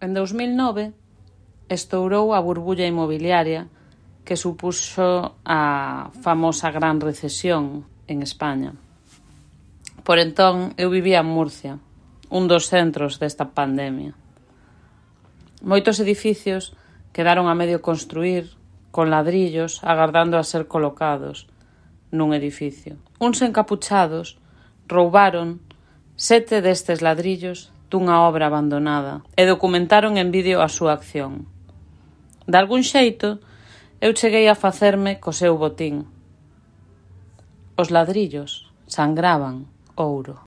En 2009 estourou a burbulla inmobiliaria que supuxo a famosa gran recesión en España. Por entón, eu vivía en Murcia, un dos centros desta pandemia. Moitos edificios quedaron a medio construír con ladrillos agardando a ser colocados nun edificio. Uns encapuchados roubaron 7 destes ladrillos dunha obra abandonada e documentaron en vídeo a súa acción. De algún xeito, eu cheguei a facerme co seu botín. Os ladrillos sangraban ouro.